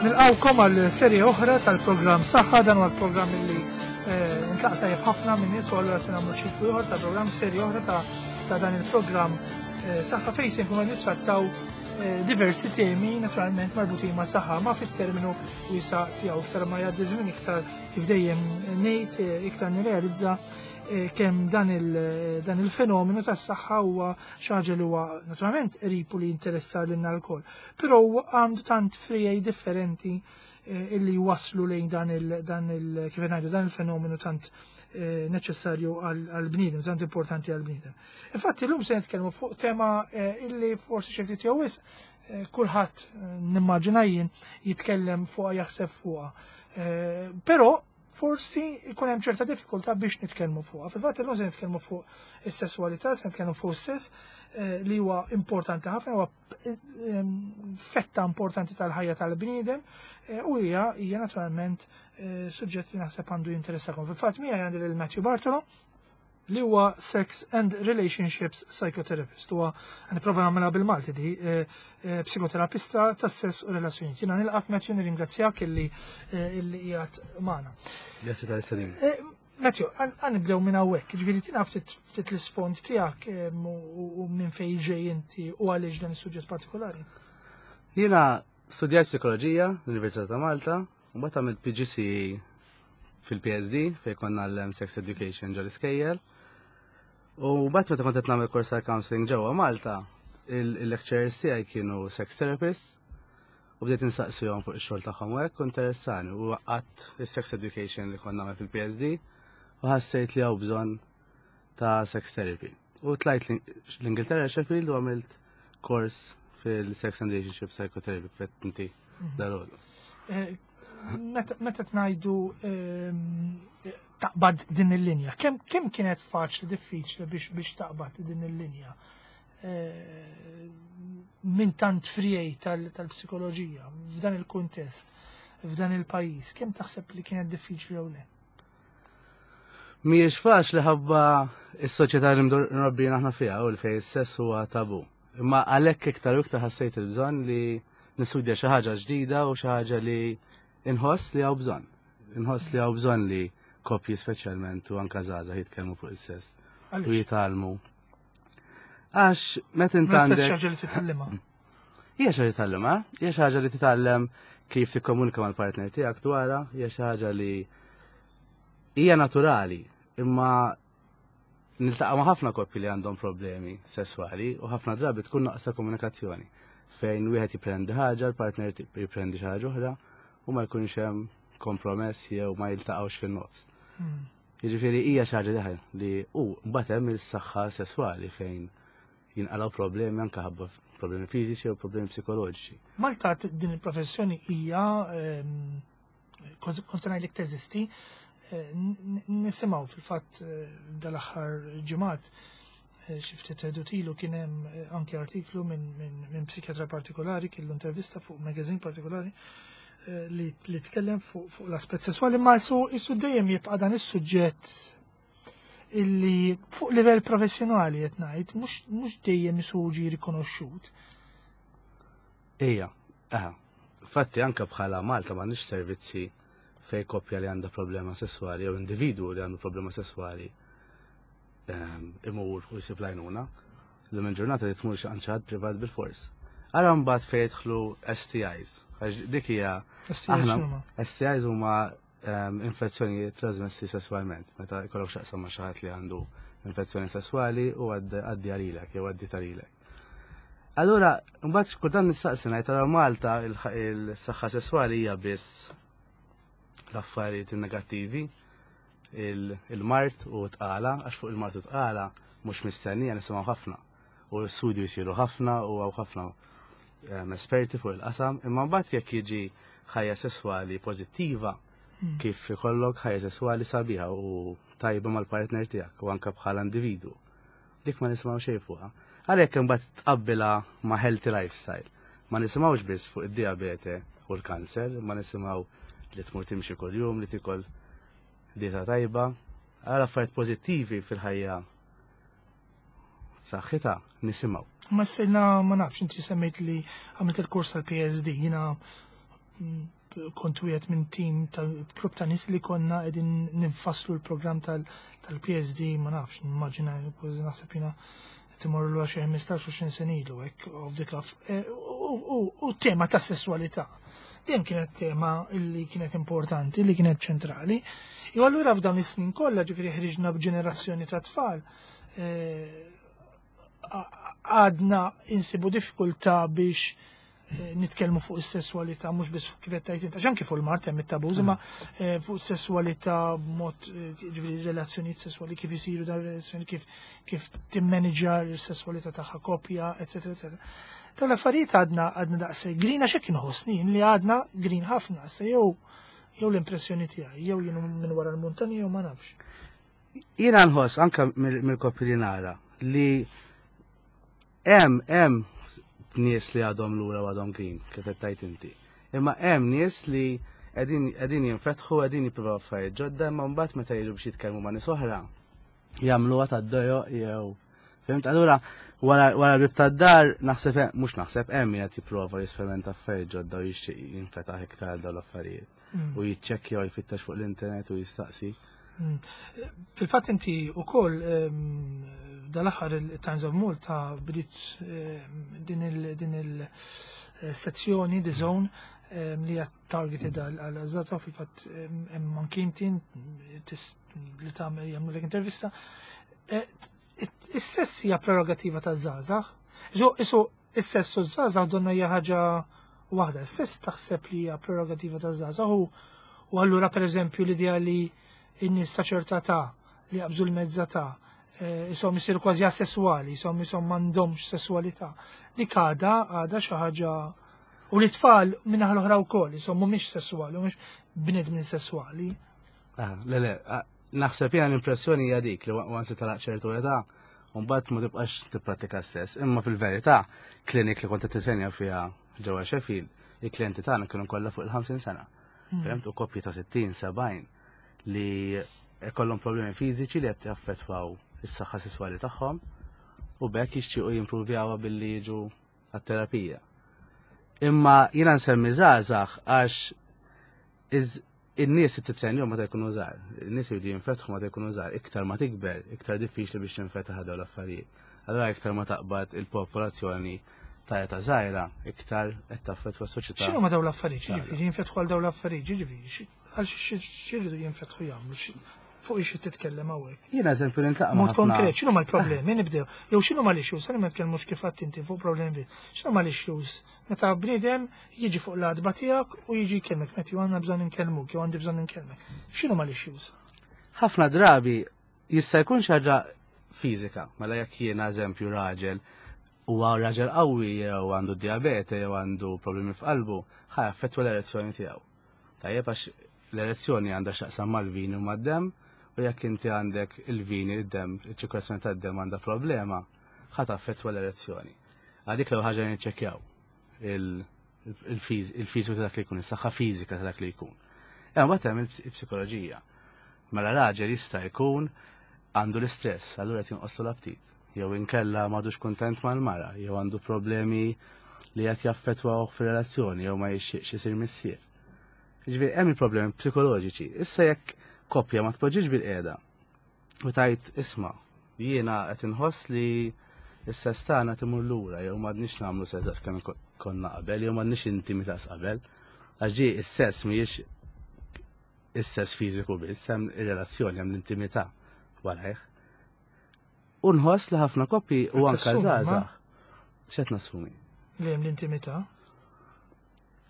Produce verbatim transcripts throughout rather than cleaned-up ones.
Nilqawkom għal serje oħra tal-programm Saħħa. Dan huwa l-programm li eh, intlaqa' tajjeb ħafna minn nies u allura se nagħmlu ċiklu ieħor ta' programm, serje oħra ta' ta' dan il-programm eh, Saħħa, fejn se nkunu nittrattaw eh, diversi temi naturalment marbutin ma' saħħa, ma' fit-terminu wiesa' tiegħu. Iktar ma jgħaddi żmien, iktar, kif dejjem ngħid, iktar nirrealizza kemm dan il dan il-fenomenu tas-saħħa huwa xi ħaġa li huwa naturalment qrib u li jinteressa lilna lkoll. Però għandu tant friegħi differenti eh, illi waslu lejn dan il dan il kif ngħidu, dan il-fenomenu tant eh, neċessarju għal-bniedem, tant importanti għal-bniedem. Infatti llum se nitkellmu fuq tema eh, illi forsi xi ftit jew wisq kulħadd, nimmaġina jien, jitkellem fuqha, jaħseb fuqha. Però forsi jkun hemm ċerta diffikultà biex nitkellmu fuqha. Fil-fatt illum se nitkellmu fuq is-sesswalità, se nitkellmu fuq is-sess, eh, li huwa importanti ħafna, huwa eh, fetta importanti tal-ħajja tal-bniedem eh, u hija hija naturalment suġġett li naħseb għandu jinteressakom. Fil-fatt miegħi għandi lil Matthew Bartolo, li huwa Sex and Relationships Psychotherapist. Huwa, nipprova nagħmilha bil-Malti di, eh, eh, psikoterapista tas-sess u relazzjonijiet. Jiena nilqak, Matthew, nirringrazzjak illi eh, illi qiegħed magħna. Grazzi tal-istedina. Matthew, ħa nibdew minn hawnhekk, ġifieri tina ftit ftit l-isfond tiegħek u minn fejn ġej inti u għaliex dan is-suġġett partikolari. Jiena studjajt psikoloġija l-Università ta' Malta, u mbagħad għamilt P G C E fil-P S D fejn konna l-Sex Education ġol iskejjel. U mbagħad meta kont qed nagħmel kors ta' counseling ġewwa Malta, il-lecturers tiegħi kienu sex therapists u bdejt insaqsihom fuq ix-xogħol tagħhom u hekk interessani u għaqqadt is-sex education li konna nagħmel fil-P S D u ħassejt li hawn bżonn ta' sex therapy. U tlajt l-Ingilterra, Sheffield, u għamilt kors fil-sex and relationship psychotherapy fet inti mhm. dal eh, Meta tnajdu ehm, taqbad din il-linja, kemm kemm kienet faċli, diffiċli biex biex taqbad din il-linja? Eh, minn tant friegħi tal-psikoloġija, f'dan il-kuntest, f'dan il-pajjiż, kemm taħseb li kienet diffiċli jew le? Mhijiex faċli ħabba is-soċjetà li mrobbijin aħna fiha u li fejn is-sess huwa tabu. Imma għalhekk iktar u iktar ħassejt il-bżonn li nistudja xi ħaġa ġdida u xi ħaġa li inħoss li hawn bżonn. Inħoss li hawn bżonn li koppji speċjalment u anka żgħażagħ jitkellmu fuq is-sess. U jitgħallmu. Għax meta int għandek. Xi ħaġa li titgħallimha. Hija xi ħaġa li titgħallimha, hija xi ħaġa li titgħallem kif tikkomunika mal-partner tiegħek dwarha, hija xi ħaġa li hija naturali, imma niltaqa' ma' ħafna koppji li għandhom problemi sesswali u ħafna drabi tkun naqsa komunikazzjoni fejn wieħed jiprendi ħaġa, l-partner jiprendi xi ħaġa oħra u ma jkunx hemm kompromess jew ma jiltaqgħux fin-nofs. Hmm. Jiġifieri hija xi ħaġa li u mbagħad hemm is-saħħa sesswali fejn jinqalgħu problemi anke ħabba problemi fiżiċi u problemi psikoloġiċi. Malta din il-professjoni hija ehm, kont ngħidlek teżisti, eh, nisimgħu fil-fatt eh, dal-aħħar ġimgħat, eh, xi ftit ilu kien hemm anke artiklu minn min psikjatra partikolari, kellu intervista fuq magazine partikolari li, li tkellem fuq fu l-aspett sessuali, ma su isu dejjem jibqa' dan is-suġġett illi fuq livell professjonali qed ngħid mhux mhux dejjem isuġi rikonoxxut. Ija, aha. Fatti anka bħala Malta m'għandniex servizzi fej koppja li għandha problema sessuali jew individu li għandu problema sessuali ehm, imur u jsib l-għajnuna. L ġurnata li tmur xi ħadd privat bil-fors. Ara mbagħad fejn jidħlu S T Is. Għax dik hija aħna S T Is huma ehm, infezzjoni trasmessi sessualment. Meta jkollok x'taqsam ma' xi ħadd li għandu infezzjoni sessuali u għaddi għalilek jew għaddi talilek. Allura, mbagħad kultant nistaqsi ngħid, ara Malta il-saħħa sesswali hija biss l-affarijiet negattivi, il-mard u tqala, għax fuq il-mard u tqala mhux mistennija nisimgħu ħafna. U l-studju jsiru ħafna u hawn ħafna ehm, esperti fuq il-qasam, imma mbagħad jekk jiġi ħajja sesswali pożittiva, hmm. kif ikollok ħajja sesswali sabiħa u tajba mal-partner tiegħek u anke bħala individu. Dik ma nisimgħu xejn fuqha. Għalhekk imbagħad tqabbilha ma' healthy lifestyle. Ma nisimgħux biss fuq id-diabete u l-kanser, ma nisimgħu li tmur timxi kuljum, li tikol dieta tajba. Għal affarijiet pożittivi fil-ħajja saħħitha nisimgħu. Ma sejna ma nafx, inti semmejt li għamilt il-kors tal-P S D, jiena kont wieħed minn tim tal-grupp ta' nies li konna qegħdin ninfasslu l-programm tal-P S D, ma nafx, nimmaġina, kważi naħseb jiena qed imorru lura xi ħmistax sena ilu hekk off the cuff. Eh, u tema ta' sessualità. Dejjem kienet tema illi kienet importanti, li kienet ċentrali. Jew allura f'dawn is-snin kollha, ġifieri, ħriġna b'ġenerazzjoni ta' tfal, eh, għadna insibu diffikultà biex eh, nitkellmu fuq is-sessualità, mhux biss kif qed tgħid inti, anke fuq il-mard hemm it-taboos, imma eh, fuq is-sessualità b'mod, ġifieri relazzjonijiet sessuali, kif isiru dan relazzjoni, kif kif timmaniġġja s-sessualità tagħha koppja, eċetera, eċetera. Dawn l-affarijiet għadna għadna daqshekk green, għax hekk inħossni li għadna green ħafna, se jew jew l-impressjoni tiegħi, jew jien minn wara l-muntanja, jew ma nafx. Jiena nħoss anke mill-koppji li nara li hemm hemm nies li għadhom lura u għadhom green, kif qed tgħid inti. Imma hemm nies li qegħdin jinfetħu, qegħdin jippruvaw affarijiet ġodda, imma mbagħad meta jiġu biex jitkellmu ma' nies oħra, jagħmluha tad-dojo jew, fimt? Allura wara wara l tad-dar naħseb, mhux naħseb, hemm min qed jipprova jesperimenta affarijiet ġodda u jixtieq jinfetaħ iktar għal dawn l-affarijiet. Mm. U jiċċekkja u jfittex fuq l-internet u jistaqsi. Mm. Fil-fatt inti ukoll dal-aħħar il-Times of Malta bdiet din il-sezzjoni The Zone li hija targeted għal żgħażagħ. Fil-fatt hemm anki inti li tagħmel, jagħmlu intervista. E, is-sess hija prerogativa ta' żgħażagħ. Isu is-sess u żgħażagħ donna hija ħaġa waħda. Is-sess taħseb li hija prerogativa ta' żgħażagħ u allura, pereżempju, l-idea li n-nies ta' ċerta ta' li jaqbżu l-mezza ta' jisom jisiru kważi asessuali, jisom jisom m'għandhomx sessualità. Dik għada għada xi ħaġa u li tfal minna l-oħra wkoll, jisom mhumiex sessuali, mhumiex bnedmin sessuali. Ah, le, le, ah, naħseb jena l-impressjoni hija dik li once tagħlaq ċertu età, mbagħad ma tibqax tipprattika s-sess. Imma fil-verità, klinik li kont titrenja fiha ġewwa Sheffield, il-klijenti tagħna kienu kollha fuq il-ħamsin sena. Hmm. Fimt, u koppji ta' sittin, sebgħin li kollhom problemi fiżiċi li qed jaffettwaw is-saħħa sesswali tagħhom u bekk jixtiequ jimprovjawha billi jiġu għat-terapija. Imma jiena nsemmi żgħażagħ għax in-nies titrenjhom meta jkunu żgħar. In-nies jridu jinfetħu meta jkunu żgħar. Iktar ma tikber, iktar diffiċli biex tinfetaħ dawn l-affarijiet. Allura iktar ma taqbad il-popolazzjoni ta' età żgħira, iktar qed taffettwa s-soċjetà. X'inhu ma dawn l-affarijiet? Ġifieri jinfetħu għal dawn l-affarijiet, ġifieri għal x'iridu jinfetħu jagħmlu? Fuq xi titkellem hawnhekk? Jiena eżempju niltaqa' Mod konkret, x'inhu l-problemi nibdew? Jew x'inhu ma l-issues? Ħalli ma nitkellmux kif għedt inti fuq problemi. X'inhu ma l-issues? Meta bniedem jiġi fuq l-għatba tiegħek u jiġi jkellmek, "Matthew, għandna bżonn inkellmuk" jew "għandi bżonn inkellmek". X'inhu ma l-issues? Ħafna drabi jista' jkun xi ħaġa fiżika, mela jekk jiena eżempju raġel huwa raġel qawwi jew għandu diabete jew għandu problemi f'qalbu, ħa jaffettwa l-erezzjoni tiegħu. Tajjeb, għax l-erezzjoni għandha x'taqsam mal-vini u mad-demm, u jekk inti għandek il-vini, id-dem, il-ċirkolazzjoni tad-dem għandha problema, ħa taffettwa l-erezzjoni. Għadik l ħaġa niċċekkjaw il-fiżiku ta' dak li jkun, is-saħħa fiżika ta' dak li jkun. Hemm mbagħad hemm il-psikoloġija. Mela raġel jista' jkun għandu l-istress, allura qed jonqoslu l-aptit. Jew inkella m'għadux kuntent mal-mara, jew għandu problemi li qed jaffettwaw fir-relazzjoni, jew ma jixtieqx isir missier. Ġifieri hemm il-problemi psikoloġiċi. Issa jekk koppja ma tpoġġiġ bil-qiegħda u tgħid, "Isma', jiena qed inħoss li s-sess tagħna timur lura, jew m'għadniex nagħmlu sess daqs kemm konna qabel, jew m'għandniex intimità qabel." Għax is-sess mhijiex is-sess fiżiku biss, hemm ir-relazzjoni, hemm l-intimità warajh. U nħoss li ħafna koppji u anka żgħażagħ. X'qed nassumi? Li hemm l-intimità?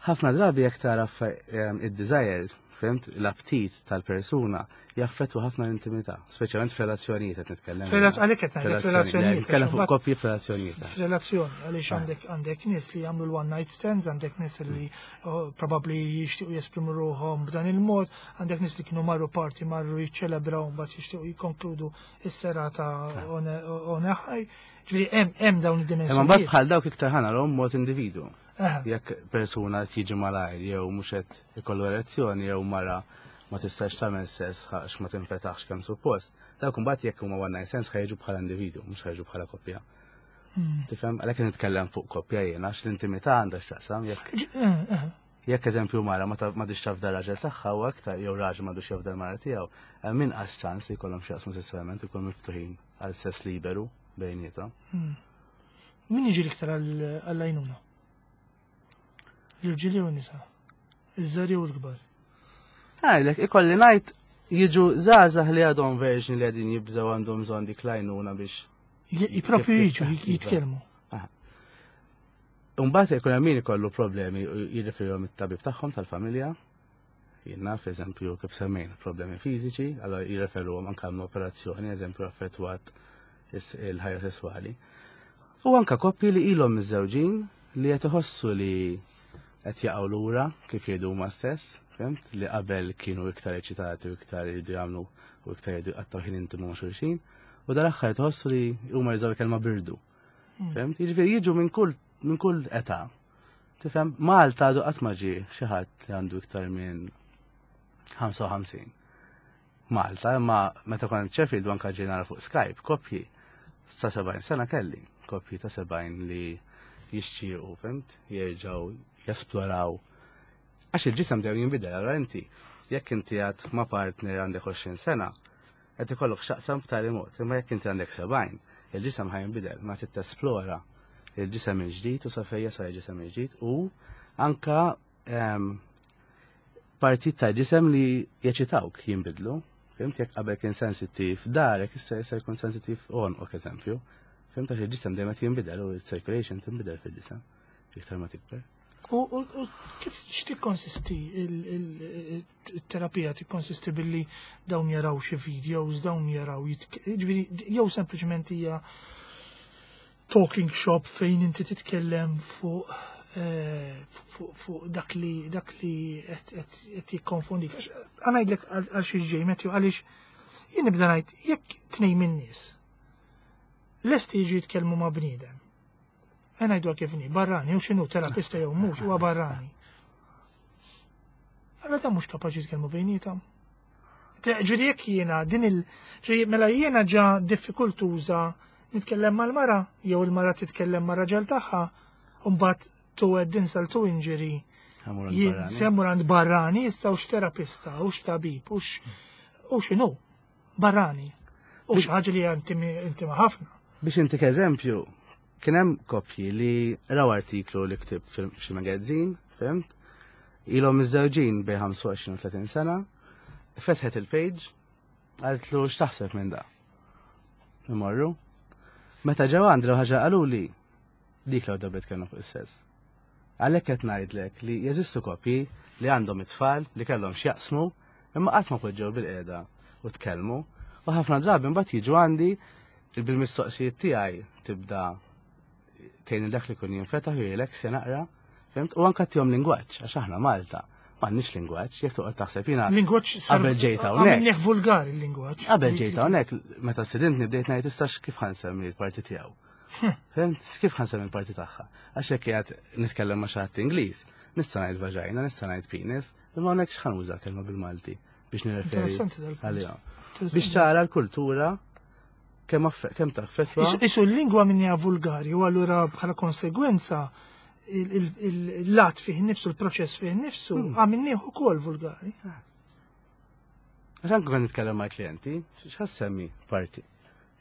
Ħafna drabi jekk tara id-desire, fimt, l-aptit tal-persuna jaffettwa ħafna l-intimità, speċjalment f'relazzjonijiet qed nitkellem. Għalhekk qed ngħidlek f'relazzjonijiet. Nitkellem fuq koppji f'relazzjonijiet. F'relazzjoni, għaliex ah. għandek għandek nies li jagħmlu l-one night stands, għandek nies li oh, probabbli jixtiequ jesprimu ruħhom b'dan il-mod, għandek nies li kienu marru party, marru jiċċelebraw, mbagħad jixtiequ jikkonkludu is-serata on a high. Ġifieri hemm hemm dawn id-dimensjonijiet. Imma mbagħad bħal dawk iktar ħa narahom mod individu. Jekk persuna tiġi malajr jew mhux qed ikollu erezzjoni jew mara ma tistax tagħmel sess għax ma tinfetaħx kemm suppost, dawk imbagħad jekk huma one night stands ħa jiġu bħala individu, mhux ħa jiġu bħala koppja. Hmm. Tifhem, għalhekk nitkellem fuq koppja jiena, għax l-intimità għandha x'taqsam jekk. Eh, eh. Jekk eżempju mara ma m'għadhiex tafda raġel tagħha u aktar jew raġel m'għadux jafda l-mara tiegħu, hemm inqas ċans li jkollhom x'jaqsmu sesswalment u jkunu miftuħin għal sess liberu bejniethom. Hmm. Min jiġi l-iktar għall-għajnuna? L-irġieli u n-nisa? Iż-żgħar u l-kbar? Għajlek, ikolli ngħid jiġu żgħażagħ li għadhom verġni li għadin jibżgħu, għandhom bżonn dik l-għajnuna biex. Propju jiġu jitkellmu. Umbagħad ikun hemm min ikollu problemi u jirrifirihom it-tabib tagħhom tal-familja. Jien naf, eżempju, kif semmejna, problemi fiżiċi, allora jirreferuhom anke għal operazzjoni, eżempju, affettwat il-ħajja sesswali. U anka koppji li ilhom miżżewġin li qed iħossu li qed jaqgħu lura, kif jgħidu huma stess, fhimt, li qabel kienu iktar eċitati u iktar jridu jagħmlu u iktar jridu jqattgħu ħin intimu ma' xulxin, u dal-aħħar tħossu li huma jużaw kelma birdu. Hmm. Fhimt? Jiġifieri jiġu minn kull minn kull età. Tifhem, Malta għadu qatt ma ġie xi ħadd li għandu iktar minn ħamsa u ħamsin. Malta, imma meta kont Sheffield anka ġie nara fuq Skype, koppji ta' sebgħin sena kelli, koppji ta' sebgħin li jixtiequ, fhimt, jerġgħu jesploraw. Għax il-ġisem dejjem jinbidel, allora inti, jekk inti għad ma' partner għandek għoxrin sena, qed ikollok x'taqsam b'tali mod, imma jekk inti għandek sebgħin, il-ġisem ħa jinbidel, ma trid tesplora il-ġisem il-ġdid u sa fejn sa il-ġisem il-ġdid u anka ehm, partit ta' ġisem li jeċitawk jinbidlu. Fhimt, jekk qabel kien sensittiv darek, issa issa jkun sensittiv għonqok, eżempju. Fhimt, għax il-ġisem dejjem qed jinbidel u il-circulation tinbidel fil-ġisem iktar ma tikber. U u- u kif x'tikkonsisti il-terapija? Tikkonsisti billi dawn jaraw xi videos, dawn jaraw jitk- ġifieri, jew sempliċement hija talking shop fejn inti titkellem fuq eh, fuq fuq dak li dak li qed qed qed jikkonfondik? Għax ħa ngħidlek għal għal xi ġej, Matthew, għaliex jien nibda ngħid jekk tnejn min-nies lesti jiġu jitkellmu ma' bniedem. Ħa ngħidu kif inhi, barrani, u x'inhu, terapista jew mhux, huwa barrani. Allora ta' mhux kapaċi jitkellmu bejniethom. Ġifieri jekk jiena din il ġifieri mela jiena ġa diffikultuża nitkellem mal-mara jew il-mara titkellem mar-raġel tagħha, u mbagħad to add insult to injury Ħa mmur għand jien barrani. se mmur għand barrani issa, u terapista u tabib u u x'inhu barrani. U xi ħaġa li hija intimi- intima ħafna. Biex intik eżempju, kien hemm koppji li raw artiklu li ktibt fil-xi magazine, fhimt? Ilhom miżżewġin bejn ħamsa u għoxrin u tletin sena, fetħet il-page, qaltlu: "X'taħseb minn da?" Imorru. Meta ġew għandi, ħaġa qaluli dik l dabet kienu fuq is-sess. Għalhekk qed ngħidlek li jeżistu koppji li għandhom it-tfal li kellhom x'jaqsmu, imma qatt ma poġġew bil-qiegħda u tkellmu, u ħafna drabi mbagħad jiġu għandi bil-mistoqsijiet tiegħi tibda tgħin dak li kun jinfetaħ u jirelaxja naqra, fhimt? U anka tihom lingwaġġ, għax aħna Malta m'għandniex lingwaġġ, jekk toqgħod taħseb jiena Lingwaġġ sar qabel ġejt hawnhekk. Għamilnieh vulgari il-lingwaġġ. Qabel ġejt hawnhekk, meta stedintni bdejt ngħid issa kif ħa nsemmi l-parti tiegħu. Fhimt? Kif ħa nsemmi l-parti tagħha? Għax jekk qiegħed nitkellem ma' xi ħadd Ingliż, nista' ngħid vagina, nista' ngħid penis, imma hawnhekk x'ħa nuża kelma bil-Malti biex nirreferi Interessanti dal-punt. għalihom? Interessanti. Biex tara l-kultura kemm affe- kemm taffettwa. Isu- Isu l-lingwa minja vulgari u allura bħala konsegwenza il-lat fih nifsu, il-proċess fih nifsu, għamilnieh ukoll vulgari. Għax anke kont nitkellem ma' klienti, x'ħa ssemmi parti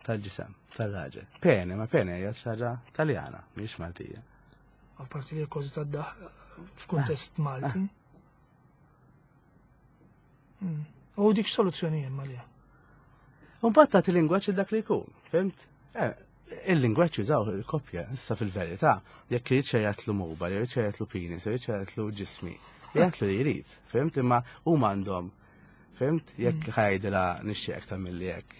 tal-ġisem, tal-raġel? Pene, ma pene hija xi ħaġa Taljana, mhix Maltija. Apparti li kważi tad-daħ f'kuntest Malti. Mm. U dik soluzzjoni hemm għaliha? U mbagħad tagħti lingwaġġ dak li jkun, fhimt? Eh, il-lingwaġġ jużaw il-koppja, issa fil-verità, jekk irid xi jgħidlu mobile, jrid xi jgħidlu penis, jrid xi jgħidlu ġismi, jgħidlu li jrid, fhimt? Imma huma għandhom, fhimt? Jekk ħa jgħidilha "nixtieqek tagħmilli hekk".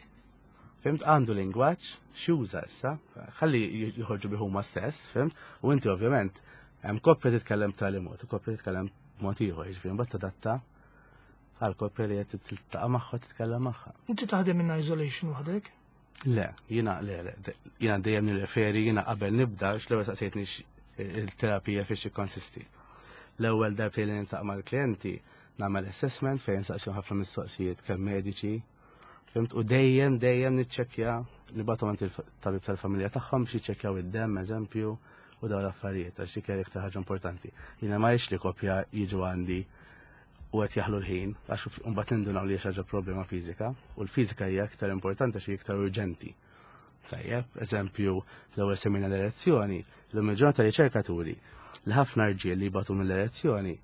Fhimt, għandu lingwaġġ x'juża issa, ħalli joħorġu bih huma stess, fhimt? U inti ovvjament hemm koppja titkellem b'tali mod, u koppja titkellem b'mod ieħor, jiġifieri mbagħad tadatta għal koppja li qed tiltaqa' magħha, titkellem magħha. Inti taħdem in isolation waħdek? Le, jiena le, le, de- jiena dejjem nirreferi, jiena qabel nibda, x-l-ewwel saqsejtni x- il-terapija fiex tikkonsisti. L-ewwel darbtejn li niltaqa' mal-klijenti nagħmel assessment fejn saqsihom ħafna mistoqsijiet kemm mediċi, fhimt, u dejjem dejjem niċċekkja, nibgħathom għand il-tabib tal-familja tagħhom biex jiċċekkjaw id-demm, eżempju, u dawn l-affarijiet, għax dik hija l-iktar ħaġa importanti. Jiena ma li koppja jiġu għandi u qed jaħlu l-ħin, għax mbagħad nindunaw li ħaġa problema fiżika, u l-fiżika hija iktar importanti għax iktar urġenti. Tajjeb, eżempju, l-ewwel semmejna l-erezzjoni, l-lum il-ġurnata riċerkaturi li ħafna rġiel li jbatu mill-erezzjoni,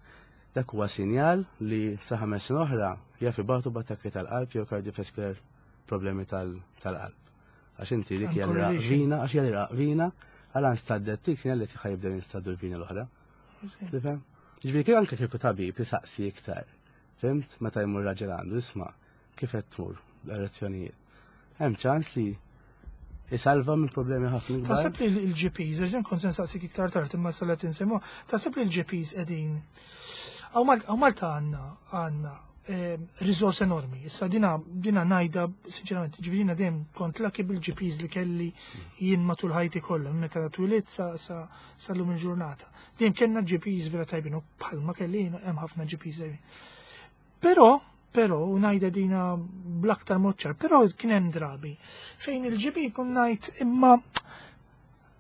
dak huwa sinjal li sa ħames snin oħra jaf ibatu b'attakki tal-qalb jew cardiovascular problemi tal-qalb. Għax inti dik hija vina, għax hija vina, għal nstaddet tik sinjal li ħa jibdew jinstaddu l-vina l-oħra. Tifhem? Ġifieri kif anke kieku tabib jisaqsi iktar. Fhimt? Meta jmur raġel għandu isma' kif qed tmur l-erezzjonijiet. Hemm ċans li jisalva minn problemi ħafna kbar. Taħseb li l-G Ps, għax kont se nsaqsik iktar tard imma salet insemmu, taħseb li l-G Ps qegħdin Hawn Malta għandna għandna riżors enormi. Issa dina dina ngħidha sinċerament, ġifieri dejjem kont lucky bil-G Ps li kelli jien matul ħajti kollha, meta twilidt sa sa sal-lum il-ġurnata. Dejjem kellna G Ps vera tajbin u bħalma kelli hemm ħafna G Ps tajbin. Però però, u ngħidha dina bl-aktar mod ċar, però kien hemm drabi fejn il-G P kun ngħid imma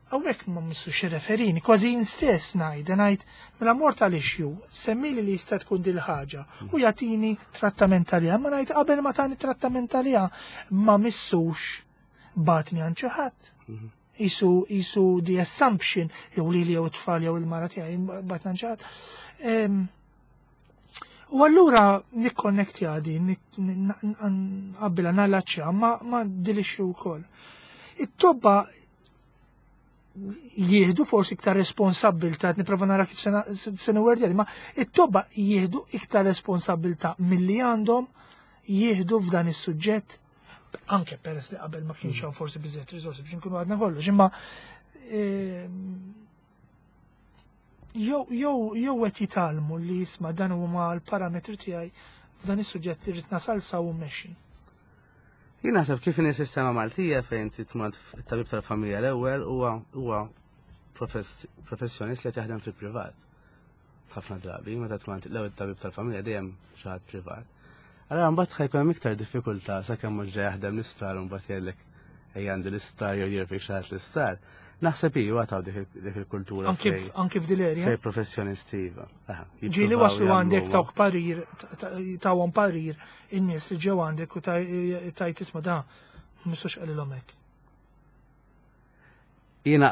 hawnhekk ma missux referini, kważi jien stess ngħid, ngħid mela mort għal issue, semmili li jista' tkun dil ħaġa u jagħtini trattament għaliha, ma ngħid qabel ma tani trattament għaliha ma missux bagħatni għand xi ħadd. Isu, isu the assumption, jew li li jew tfal jew il-mara tiegħi bagħatna għand xi ħadd. U allura nikkonnektja għadi, nqabbilha nallaċċja ma, ma dil-issue wkoll. It-tobba jieħdu forsi iktar responsabbiltà, nipprova nara kif se nwerdja, ma it-tobba jieħdu iktar responsabbiltà milli għandhom jieħdu f'dan is-suġġett, anke peress li qabel ma kienx hawn forsi biżejjed riżorsi biex nkunu għadna kollox, imma ehm, jew jew jew qed jitgħallmu li jisma' dan huma l-parametri tiegħi f'dan is-suġġett li rrid nasal sa u mmexxi. Jien naħseb kif inhi sistema Maltija fejn titmad it-tabib tal-familja l-ewwel huwa huwa professjonist li jaħdem fil-privat. Ħafna drabi, meta tmand l-ewwel tabib tal-familja dejjem xi ħadd privat. Allora mbagħad ħa jkun hemm iktar diffikultà sakemm mhux ġej jaħdem l-isptar u mbagħad jgħidlek ejja għandi l-isptar jew jirfik xi ħadd l-isptar. Naħseb iva taw dik il-kultura. Anke f'dil-erja. Fej professjonisti iva. Ġieli waslu għandek tawk parir, tawhom parir in-nies li ġew għandek u tajt isma' da mistux qalilhom hekk? Jiena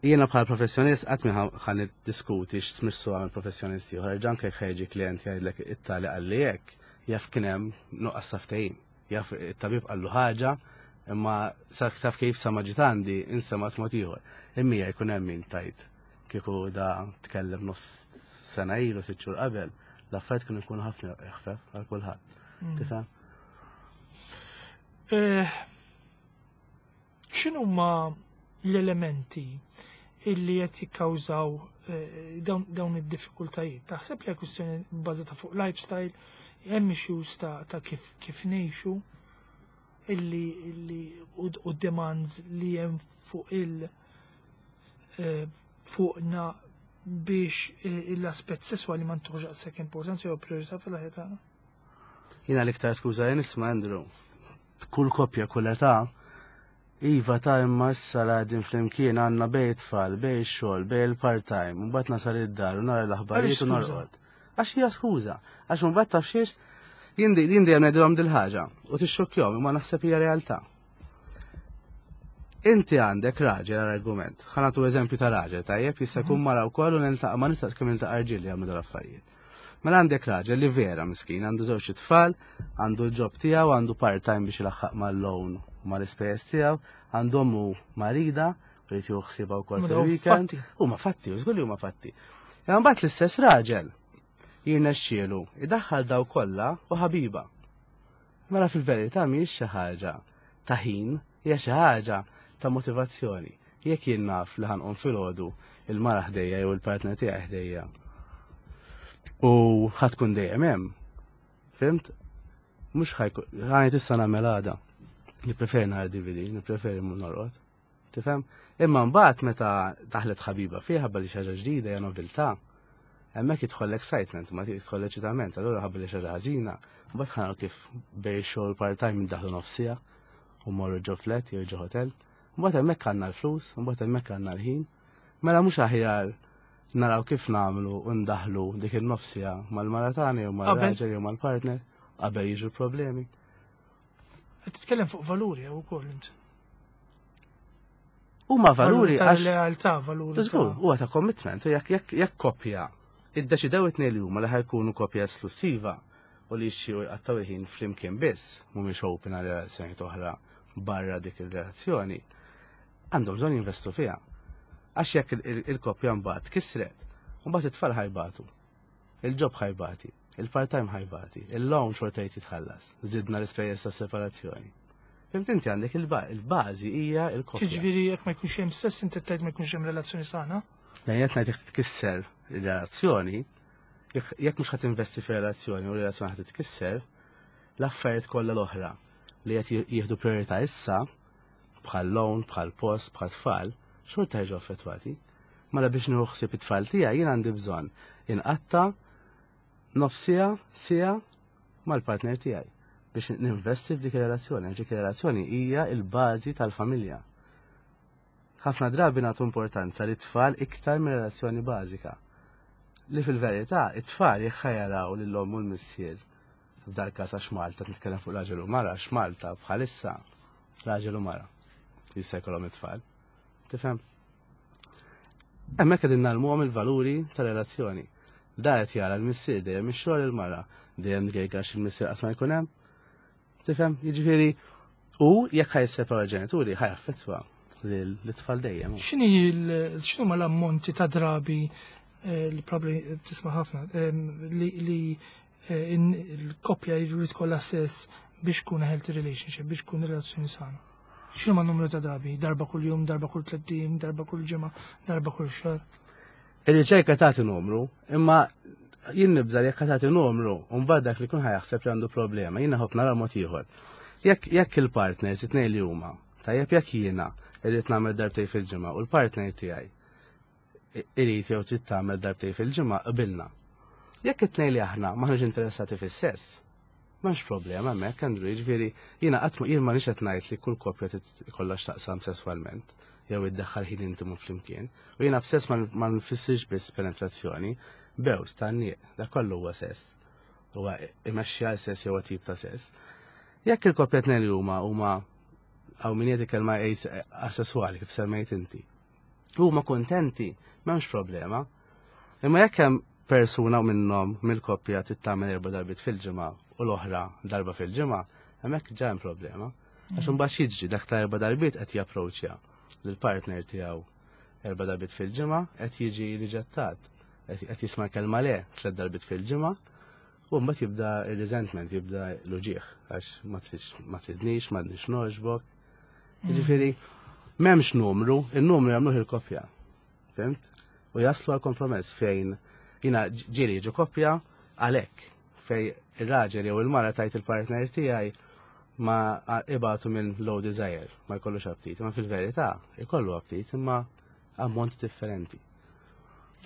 jiena bħal professjonist qatt mi ħa niddiskuti x'tmissu għamel professjonisti oħra, ġanke ħa jiġi klient jgħidlek it-tali qalli hekk, jaf kien hemm nuqqas ta' ftehim. Jaf it-tabib qallu ħaġa, imma taf kif sa ma ġiet għandi insemat mod ieħor. Immija jkun hemm min tajt kieku da tkellem nofs sena ilu, sitt xhur qabel, l-affarijiet kienu jkunu ħafna eħfef għal kulħadd. Mm. Tifhem? Eh, x'inhuma l-elementi illi qed jikkawżaw eh, dawn id-diffikultajiet? Taħseb li kwistjoni bbażata fuq lifestyle, hemm issues ta' kif kif ngħixu illi illi u demands li hemm fuq il eh, fuqna biex eh, l-aspett sesswali ma ntuħx daqshekk importanza jew priorità fil-ħajja tagħna? Jiena l-iktar skuża jien nisma', Andrew. Kull koppja, kull età, iva ta' imma issa la qegħdin flimkien għandna bejn tfal, bejn xogħol, bejn il-part-time, mbagħad nasal id-dar u nara l-aħbarijiet u norqod. Għax hija skuża, għax mbagħad taf xiex jien jien dejjem ngħidilhom dil-ħaġa u tixxokkjahom, imma naħseb hija realtà. Inti għandek raġel għal argument, ħa nagħtu eżempju ta' raġel, tajjeb, jista' jkun mara wkoll u niltaqa' ma nistax kemm niltaqa' rġiel li jagħmlu dal-affarijiet. Mela għandek raġel li vera miskin, għandu żewġ tfal, għandu l-job tiegħu, għandu part-time biex ilaħħaq mal-loan u mal-ispejjeż tiegħu, għandu ommu marida, u jrid jieħu ħsiebha wkoll fil-weekend. Huma fatti, u żgur li huma fatti. Imma mbagħad l-istess raġel jirnexxielu idaħħal daw kollha u ħabiba. Mela fil-verità mhijiex xi ħaġa ta' ħin, hija xi ħaġa ta' motivazzjoni. Jekk jien naf li ħa nqum filgħodu il-mara ħdejja jew il-partner tiegħi ħdejja u ħa tkun dejjem hemm. Fhimt? Mhux ħa jkun ħa issa nagħmel għada. Nippreferi nara D V D, nippreferi mmur norqod. Tifhem? Imma mbagħad meta daħlet ħabiba fiha ħabba li xi ħaġa ġdida hija nobiltà. Hemmhekk jidħol l-excitement, ma jidħol l-eċitament, allura ħabba li xi ħaġa ħażina, mbagħad ħa kif bejn xogħol part-time daħlu nofsija u morru ġo flat jew ġo hotel. Mbagħad hemmhekk għandna l-flus, mbagħad hemmhekk għandna l-ħin. Mela mhux aħjar naraw kif nagħmlu u ndaħlu dik in-nofs siegħa mal-mara tagħna jew mal-raġel jew mal-partner qabel jiġu problemi. Qed titkellem fuq valuri jew ukoll int. Huma valuri għax lealtà, valuri. Żgur, huwa ta' commitment, jekk jekk jekk koppja iddeċidew it-tnejn li huma li ħa jkunu koppja esklusiva u li jixtiequ jqattgħu il-ħin flimkien biss, mhumiex open għal relazzjoni oħra barra dik il-relazzjoni, għandhom bżonn jinvestu fiha. Għax jekk il-koppja mbagħad kisret, mbagħad it-tfal ħa jbatu, il-job ħa jbati, il-part-time ħa jbati, il-loan xorta jitħallas, żidna l-ispejjeż ta' separazzjoni. Fhimt, inti għandek il-bażi hija il-koppja. Ġifieri jekk ma jkunx hemm sess, inti tgħid ma jkunx hemm relazzjoni sana? Jien qed ngħid jekk titkisser il-relazzjoni, jekk mhux ħa tinvesti fi relazzjoni u relazzjoni ħa titkisser, l-affarijiet kollha l-oħra li qed jieħdu priorità issa, bħal loan, bħal post, bħal tfal, xorta jiġu affettwati. Mela biex nieħu ħsieb it-tfal tiegħi jien għandi bżonn inqatta' nofs siegħa, siegħa mal-partner tiegħi biex ninvesti f'dik ir-relazzjoni. Dik ir-relazzjoni hija l-bażi tal-familja. Ħafna drabi nagħtu importanza li tfal iktar minn relazzjoni bażika. Li fil-verità it-tfal jekk jaraw lil-omm u l-missier, f'dal każ għax Malta nitkellem fuq raġel u mara, għax Malta bħalissa raġel u mara jista' jkollhom it-tfal. Tifhem? Hemmhekk qegħdin ngħallmuhom il-valuri ta' relazzjoni. Da qed jara l-missier dejjem ix-xogħol, il-mara dejjem għax il-missier qatt ma jkun hemm. Tifhem? Jiġifieri u jekk ħa jisseparaw il-ġenituri ħa jaffettwa l-tfal dejjem. X'inhi x'inhu ma l-ammonti ta' drabi eh, li probably tisma' ħafna li li eh, l-koppja jrid kollha sess biex tkun healthy relationship, biex tkun relazzjoni sana? X'inhu ma numru ta' drabi? Darba kull jum, darba kull tliet ijiem, darba kull ġimgħa, darba kull xahar? Ir-riċerka tagħti numru, imma jien nibża jekk tagħti numru, u mbagħad dak li kun ħa jaħseb li għandu problema, jien ħobb nara mod ieħor. Jekk jekk il-partners it-tnejn li huma, tajjeb, jekk jiena irrid nagħmel darbtej fil-ġimgħa u l-partner tiegħi irid jew trid tagħmel darbtej fil-ġimgħa, qbilna. Jekk it-tnejn li aħna maħniex interessati fis-sess, m'hemmx problema hemmhekk, Andrew, jiġifieri jiena qatt jien ma qed ngħid li kull koppja ikollha x'taqsam sesswalment jew iddaħħal ħin intimu flimkien. U jiena b'sess ma nfissirx biss penetrazzjoni, bews, tgħanniq, dak kollu huwa sess. Huwa imexxi għal sess jew tip ta' sess. Jekk il-koppja tnejn li huma huma għaw min jgħid kelma asessuali kif semmejt inti, huma kontenti, m'hemmx problema. Imma jekk hemm persuna minnhom mill-koppja tagħmel erba' darbiet fil-ġimgħa u l-oħra darba fil-ġimgħa, hemmhekk ġa hemm problema. Għax imbagħad jiġri dak ta' erba' darbiet qed japproċċja lill-partner tiegħu erba' darbiet fil-ġimgħa, qed jiġi riġettat, qed jisma' kelma le tliet darbiet fil-ġimgħa, u mbagħad jibda ir-resentment, jibda l-uġieħ għax ma tridx, ma tridnix, ma tridnix nogħġbok. Jiġifieri m'hemmx numru, il-numru jagħmluh il-koppja. Fhimt? U jaslu għal kompromess fejn jiena ġieli jiġu koppja għalhekk fej ir-raġel jew il-mara tgħid il-partner tiegħi ma ibatu minn low desire, ma jkollux aptit, ma fil-verità jkollu aptit imma ammont differenti.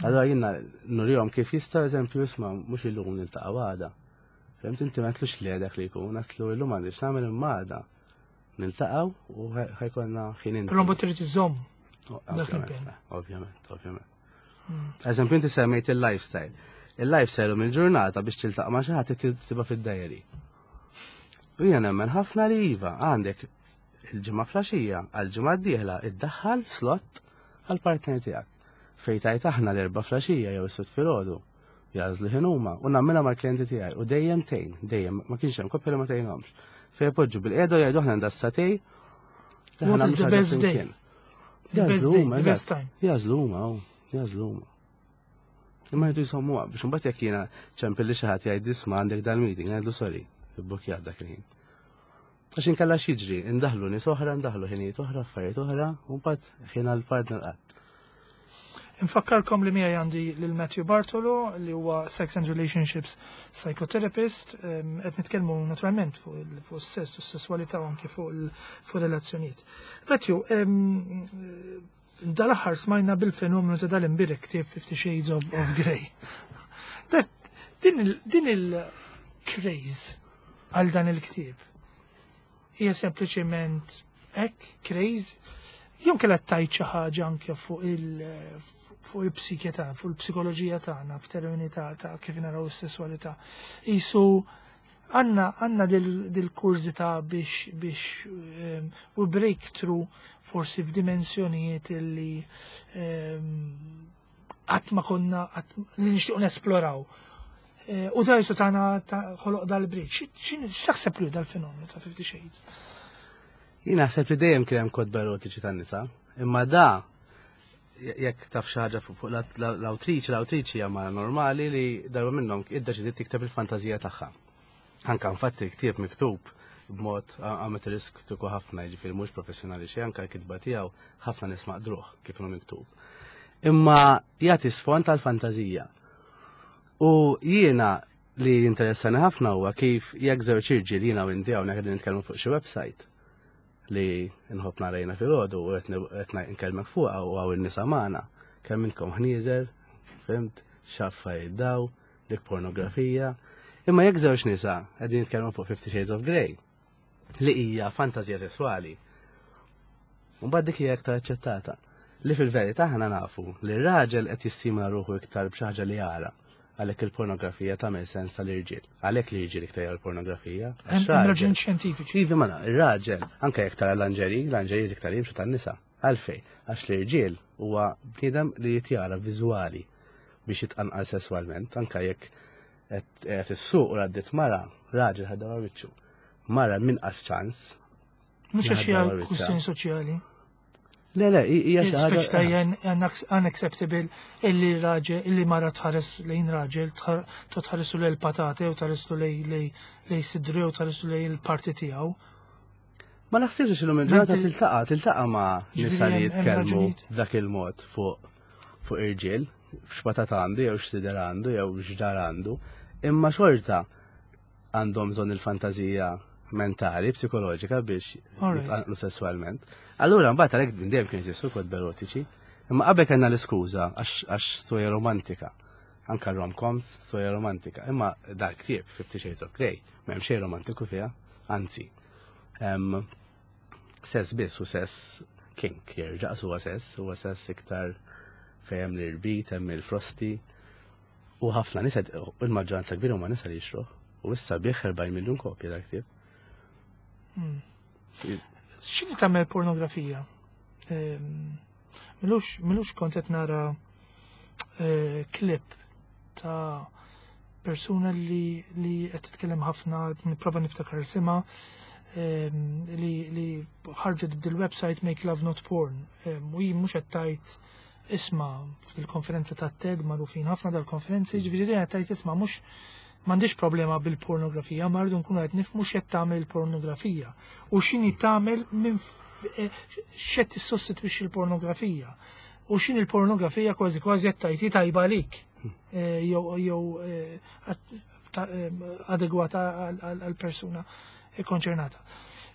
Allora jiena nurihom kif jista', eżempju, isma', mhux illum, niltaqa' għada. Fhimt, inti ma tlux li dak li jkun, għedtlu illum għandix nagħmel imma għada niltaqgħu u ħa jkollna ħin inti. Però mbagħad trid iżomm dak l-impenn. Ovvjament, ovvjament. Eżempju, inti semmejt il-lifestyle. Il-lifestyle u mill-ġurnata biex tiltaqa' ma' xi ħadd tiktibha fid-diary. U jiena nemmen ħafna li iva, għandek il-ġimgħa filgħaxija għal-ġimgħa d-dieħla iddaħħal slot għal-partner tiegħek. Fejn tgħid aħna l-Erbgħa filgħaxija jew is-Sibt filgħodu. Jagħżlu ħin huma u nagħmilha mal-klijenti tiegħi u dejjem tgħin, dejjem ma kienx hemm koppja li ma tgħinhomx. Fejn ipoġġu bilqiegħda jgħidu aħna għandha s-sagħtejn. What is the best day? The best day, the best time. Jagħżlu huma, jagħżlu huma. Imma jgħidu jisommuha biex imbagħad jekk jiena ċempel li xi ħadd jgħid isma' għandek dal-meeting, ngħidlu sorry, ibbukjat dak il-ħin. Għax inkella x'jiġri, indaħlu nies oħra, indaħlu ħinijiet oħra, affarijiet oħra, u mbagħad ħin għall-partner qatt. Infakkarkom li miegħi għandi lil Matthew Bartolo li huwa Sex and Relationships Psychotherapist, qed nitkellmu naturalment fuq is-sess u s-sesswalità u anke fuq relazzjonijiet. Matthew, dal-aħħar smajna bil-fenomenu ta' dal-imbierek ktieb Fifty Shades of, of Grey. Din il-craze għal dan il-ktieb hija sempliċement hekk craze Jum kellha tajt xi ħaġa anke fuq il fuq il-psike tagħna, fuq il-psikoloġija tagħna f'termini ta' ta' kif naraw is-sesswalità. Isu għandna għandna dil-kurżità biex biex ehm, u breakthrough forsi f'dimensjonijiet illi ehm, qatt ma konna li nixtiequ nesploraw. Eh, u da jisu tagħna ħoloq dal-bridge. X'taħseb li dal-fenomenu ta' Fifty Shades? Jien naħseb li dejjem kien hemm kotba erotiċi tan-nisa, imma da jekk taf xi ħaġa fuq l-awtriċi, l-awtriċi hija mara normali li darba minnhom iddeċidiet tikteb il-fantażija tagħha. Anka infatti ktieb miktub b'mod amateristiku ħafna, jiġifieri mhux professjonali xejn, anka l-kitba tiegħu ħafna nies maqdruh kif inhu miktub. Imma jagħti sfond tal-fantażija. U jiena li jinteressani ħafna huwa kif jekk żewġ irġiel, jiena u inti hawnhekk qegħdin nitkellmu fuq xi website li nħobb narajna filgħodu u qed nkellmek fuqha u hawn in-nisa magħna, kemm intkom ħnieżer, fhimt, x'affa jiddaw, dik pornografija. Imma jekk żewġ nisa qegħdin jitkellmu fuq Fifty Shades of Grey, li hija fantażija sesswali, mbagħad dik hija iktar aċċettata. Li fil-verità aħna nafu li r-raġel qed jistimula ruħu iktar b'xi ħaġa li jara, għalhekk il-pornografija tagħmel sens għall-irġiel. Għalhekk li irġiel iktar jaraw il-pornografija. Hemm raġuni xjentifiċi. Iva, mela, ir-raġel, anke jekk tara lingerie, lingerie iktar jimxu tan-nisa. Għalfej, għax l-irġiel huwa bniedem li jitjara viżwali biex jitqanqal sesswalment, anke jekk qed issuq u għaddiet mara, raġel ħadda wiċċu. Mara minqas ċans. Mhux għax hija kwistjoni soċjali. Le, le, hija xi ħaġa. Speċi ta' unacceptable illi raġel, illi mara tħares lejn raġel, tħaresu lejn patate u tħaresu lejn sidru u tħaresu lejn il-parti tiegħu. Ma naħsibx illum il-ġurnata tiltaqa' tiltaqa' ma' nisa li jitkellmu dak il-mod fuq fuq irġiel, x'patata għandu jew x'sider għandu jew x'dar għandu, imma xorta għandhom bżonn il-fantażija mentali, psikoloġika biex jitqanqlu sessualment. Allura mbagħad għalhekk minn dejjem kien jeżistu kotba erotiċi, imma qabel kellna l-iskuża għax storja romantika. Anka rom-coms, storja romantika. Imma dak ktieb Fifty Shades of Grey, m'hemm xejn romantiku fiha, anzi. Sess biss u sess kink, jerġa' huwa sess, huwa sess iktar fejn hemm l-irbit, hemm il-frosti. U ħafna nisa, il-maġġoranza kbira huma nisa li jixtruh. U issa biegħ erbgħin miljun kopja dak ktieb. Hmm. X'inhi tagħmel pornografija? M'ilux m'ilux kont qed nara eh, klip ta' persuna li li qed titkellem ħafna, nipprova niftakar isimha, li li ħarġet dil-website Make Love Not Porn. U hi mhux qed tgħid isma' fil-konferenza ta' TED, magħrufin ħafna dal-konferenzi, ġifieri qed tgħid isma' mhux m'għandix problema bil-pornografija, ma rridu nkunu qed nifhmu x'qed tagħmel il-pornografija u x'inhi tagħmel minn eh, x'qed tissostitwixxi l-pornografija. U x'inhi l-pornografija kważi kważi qed tgħid tajba għalik eh, jew jew eh, adegwata għal-persuna konċernata.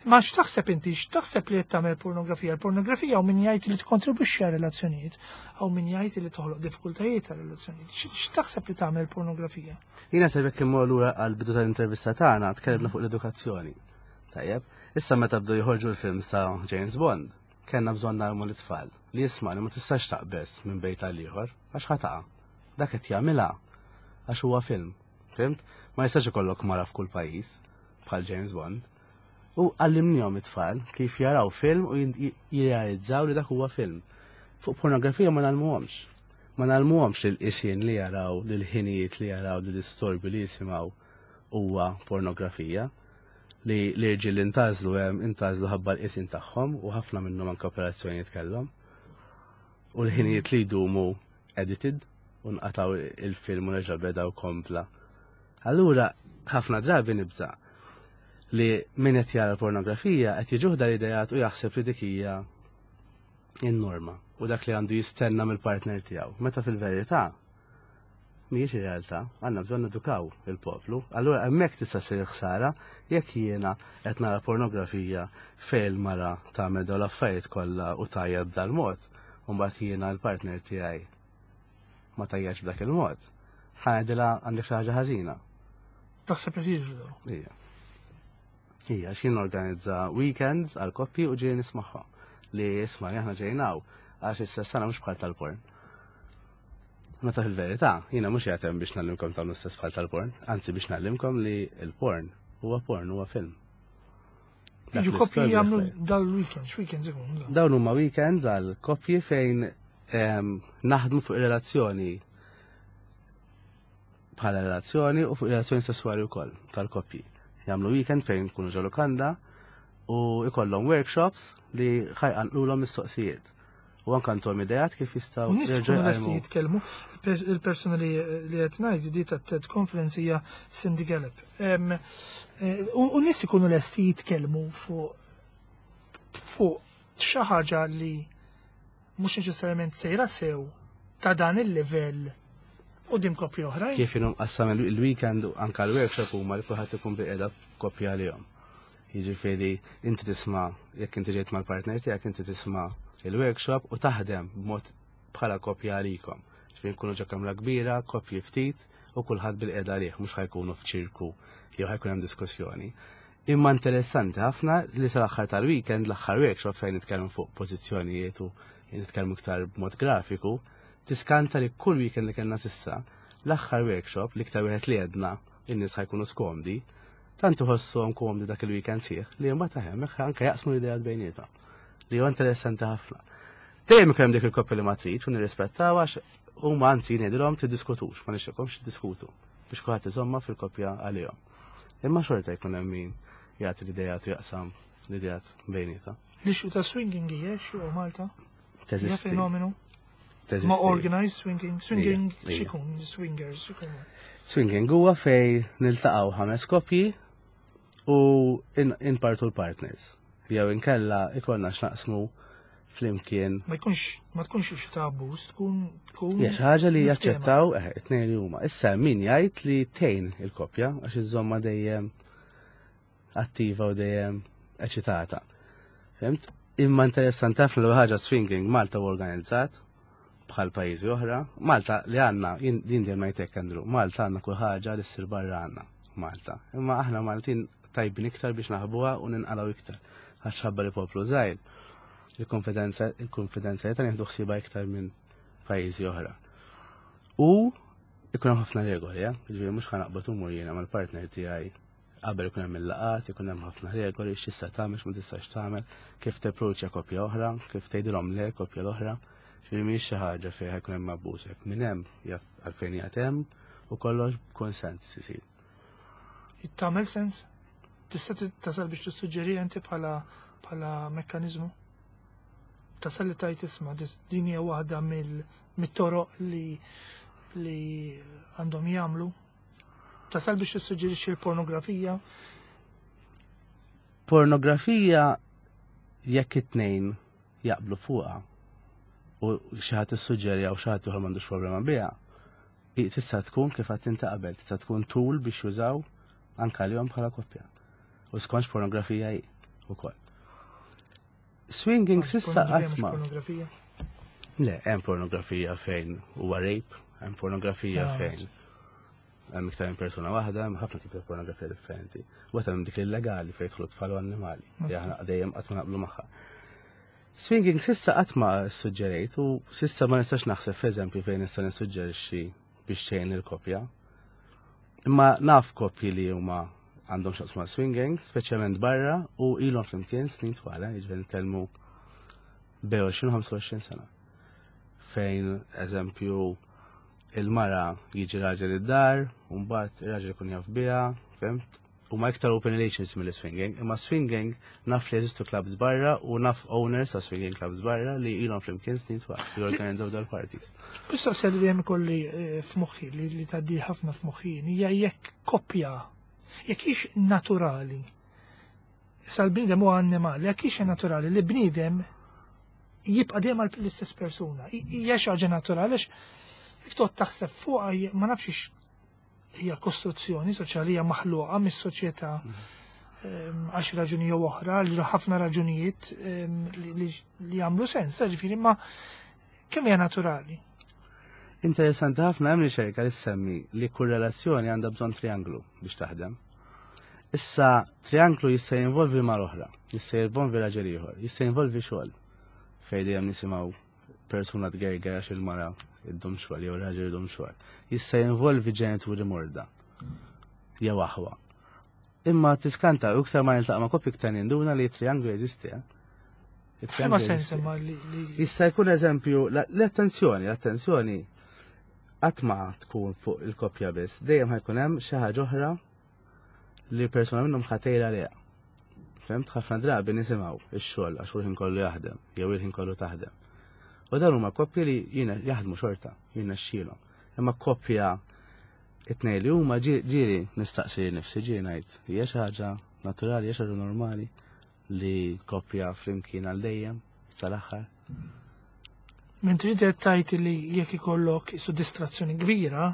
Ma x'taħseb inti, x'taħseb li qed tagħmel pornografija? Il-pornografija u min jgħid li tikkontribwixxi għal relazzjonijiet, u min jgħid li toħloq diffikultajiet għal relazzjonijiet. X'taħseb li tagħmel pornografija? Jiena se jekk immur lura għal bidu tal-intervista tagħna, tkellimna fuq l-edukazzjoni. Tajjeb, issa meta bdew joħorġu l-films ta' James Bond, kellna bżonn ngħallmu l-itfal li jisma' li ma tistax taqbeż minn bejt għal ieħor għax ħa taqa'. Dak qed jagħmilha għax huwa film. Fhimt? Ma jistax ikollok mara f'kull pajjiż bħal James Bond. U għallimnihom it-tfal kif jaraw film u jirrealizzaw li dak huwa film. Fuq pornografija ma ngħallmuhomx. Ma ngħallmuhomx li l-qisien li jaraw, li l-ħinijiet li jaraw, li l-istorbi li jisimgħu huwa pornografija. Li l-irġiel li ntgħażlu hemm intgħażlu ħabba l-qisien tagħhom u ħafna minnhom anke operazzjonijiet kellhom. U l-ħinijiet li jdumu edited u nqataw il-film u reġa' beda u kompla. Allura ħafna drabi nibża' li min qed jara pornografija qed jiġuh dal-idejat u jaħseb li dik hija in-norma u dak li għandu jistenna mill-partner tiegħu. Meta fil-verità mhijiex ir-realtà, għandna bżonn edukaw il-poplu. Allura hemmhekk tista' ssir ħsara jekk jiena qed nara pornografija fejn il-mara tagħmel dawn l-affarijiet kollha u tajjeb b'dal-mod, u mbagħad jiena l-partner tiegħi ma tajjax b'dak il-mod. Ħa ngħidilha għandek xi ħaġa ħażina. Taħseb qed jiġru dawn? Ija. Ija, x'jien organizza weekends għal koppji u ġieli nismagħha. Li isma' aħna ġejna hawn għax issa sana mhux bħal tal-porn. Meta fil-verità, jiena mhux qiegħed hemm biex ngħallimkom tagħmlu stess bħal tal-porn, anzi biex ngħallimkom li l-porn huwa porn, huwa film. Dak Jiġu li koppji storja jagħmlu fejn. dal-weekend, x'weekends ikun? Da? Dawn huma weekends għal koppji fejn em, naħdmu fuq relazzjoni bħala relazzjoni u fuq relazzjoni sessuali wkoll tal-koppji. Jagħmlu weekend fejn kunu ġo lukanda u ikollhom workshops li ħa jqanqlulhom mistoqsijiet. U anke għandhom ideat kif jistgħu U nies jerġgħu ikunu lesti jqajmu. jitkellmu. Il-pers- Il-persuna li li qed ngħid di ta' TED Conference hija Cindy Gallop. Em, eh, U u nies ikunu lesti jitkellmu fuq fuq xi ħaġa li mhux neċessarjament sejra sew ta' dan il-livell quddiem koppji oħrajn. Kif inhu mqassam il- il-weekend u anka l-workshop huma li kulħadd ikun bilqiegħda koppja għalihom. Jiġifieri inti tisma', jekk inti ġejt mal-partner tiegħek, inti tisma' il-workshop u taħdem b'mod bħala koppja għalikom. Ġifieri nkunu ġo kamra kbira, koppji ftit u kulħadd bilqiegħda għalih, mhux ħa jkunu f'ċirku jew ħa jkun hemm diskussjoni. Imma interessanti ħafna li sal-aħħar tal-weekend, l-aħħar workshop fejn nitkellmu fuq pożizzjonijiet u nitkellmu iktar b'mod grafiku, tiskanta li kull weekend li kellna s'issa, l-aħħar workshop, li iktar wieħed li għedna in-nies ħa jkunu skomdi, tant iħossuhom komdi dak il-weekend sieħ li mbagħad hemmhekk anke jaqsmu l-idea bejniethom. Li huwa interessanti ħafna. Dejjem ikun hemm dik il-koppja li ma tridx u nirrispettaw għax huma, anzi ngħidilhom tiddiskutux, ma nixtieqhomx tiddiskutu biex kulħadd iżomma fil-koppja għalihom. Imma xorta jkun hemm min jagħti l-idejat u jaqsam l-idejat bejnietha. L-issue ta' swinging hija xi Malta? Hija Teżisti. fenomenu? Teżisti. Ma organized swinging, swinging Ija, ija. x'ikun, swingers x'ikun. Swinging huwa fej niltaqgħu ħames koppji u in- inpartu l-partners. Jew inkella ikollna x'naqsmu flimkien. Ma jkunx ma tkunx issue ta' abbuż, tkun tkun Hija xi ħaġa li miftehma. jaċċettaw eh, it-tnejn li huma. Issa min jgħid li tgħin il-koppja għax iżomma dejjem attiva u dejjem eċitata. Fhimt? Imma interessanti ħafna li ħaġa swinging Malta u organizzat bħal pajjiżi oħra. Malta li għandna, jien din dejjem ngħidlek, Andrew, Malta għandna kull ħaġa li ssir barra għandna Malta. Imma aħna Maltin tajbin iktar biex naħbuha u ninqalgħu iktar. Għax ħabba li poplu żgħir, il-konfidenza il-konfidenzjalità nieħdu ħsiebha iktar minn pajjiżi oħra. U ikun hemm ħafna regoli, eh? Ġifieri mhux ħa naqbad immur jiena mal-partner tiegħi. Qabel ikun hemm il-laqat, ikun hemm ħafna regoli x'tista' tagħmel, x'ma tistax tagħmel, kif tapproċċja koppja oħra, kif tgħidilhom le koppja l-oħra. Ġifieri mhijiex xi ħaġa fejn ħa jkun hemm abbuż hekk. Min hemm jaf għalfejn qiegħed hemm u kollox b'konsens isir. Tagħmel sens? Tista' tasal biex tissuġġeri inti bħala bħala mekkaniżmu? Tasal li tajt isma' dis- din hija waħda mill mit-toroq li li għandhom jagħmlu? Tasal biex tissuġġerixxi l-pornografija? Pornografija, jekk it-tnejn jaqblu fuqha u xi ħadd issuġġeri u xi ħadd ieħor m'għandux problema biha, i- tista' tkun kif qed inti qabel, tista' tkun tool biex jużaw anke għalihom bħala koppja. U skonx pornografija hi ukoll. Swinging s'issa Pornografija qatt mhux ma. pornografija. Le, hemm pornografija fejn huwa rape, hemm pornografija Ah, fejn hemm iktar minn persuna waħda, hemm ħafna tipi ta' pornografija differenti. U hemm dik illegali fejn jidħlu tfal u annimali, li aħna dejjem qatt ma naqblu magħha. Swinging s'issa qatt ma suġġerejt u s'issa ma nistax naħseb f'eżempju fejn nista' nissuġġerixxi biex tgħin il-koppja. Imma naf koppji li huma għandhom x'jaqsmu ma' swinging, speċjalment barra, u ilhom flimkien snin twal, eh, jiġifieri nitkellmu bejn għoxrin u ħamsa u għoxrin sena. Fejn, eżempju, il-mara jiġi raġel id-dar, u mbagħad ir-raġel ikun jaf biha, fhimt? U ma iktar open relations mill-swinging, imma swinging naf li jeżistu clubs barra u naf owners ta' swinging clubs barra li ilhom flimkien snin twal, jorganizzaw dal-parties. Mistoqsija li dejjem ikolli eh, f'moħħi, li li tgħaddi ħafna f'moħħi, hija jekk koppja, jekk hix naturali. Issa l-bniedem huwa annimali, jekk hix naturali li bniedem jibqa' dejjem għal l-istess persuna. I- Hija xi ħaġa naturali għax jekk toqgħod taħseb fuqha hija- ma nafx ix hija kostruzzjoni soċjali, hija maħluqa mis-soċjetà ehm, għax raġuni jew oħra, li ħafna raġunijiet ehm, li- li li jagħmlu sens, ġifieri, ma kemm hija naturali? Interessanti ħafna, hemm riċerka li semmi li kull relazzjoni għandha bżonn trianglu biex taħdem. Issa trianglu jista' jinvolvi mal oħra, jista' jinvolvi raġel ieħor, jista' jinvolvi xogħol. Fejn dejjem nisimgħu persuna tgerger għax il-mara iddum xogħol jew raġel iddum xogħol. Jista' jinvolvi ġenituri morda jew aħwa. Imma tiskanta u iktar ma niltaqa' ma' koppji iktar ninduna li trianglu jeżisti. eh? F'liema sens imma li li Jista' jkun eżempju l-attenzjoni, l-attenzjoni qatt ma tkun fuq il-koppja biss, dejjem ħa jkun hemm xi ħaġa oħra li persuna minnhom ħa tgħir għaliha. Fhimt ħafna drabi nisimgħu ix-xogħol għax hu l-ħin kollu jaħdem, jew il-ħin kollu taħdem. U dawn huma koppji li jiena jaħdmu xorta, jiena xxilhom. Imma koppja it-tnejn li huma ġieli nistaqsi nifsi ġieli ngħid hija xi ħaġa naturali, hija xi ħaġa normali li koppja flimkien għal dejjem sal-aħħar. Mentri inti qed tgħid li jekk ikollok isu distrazzjoni kbira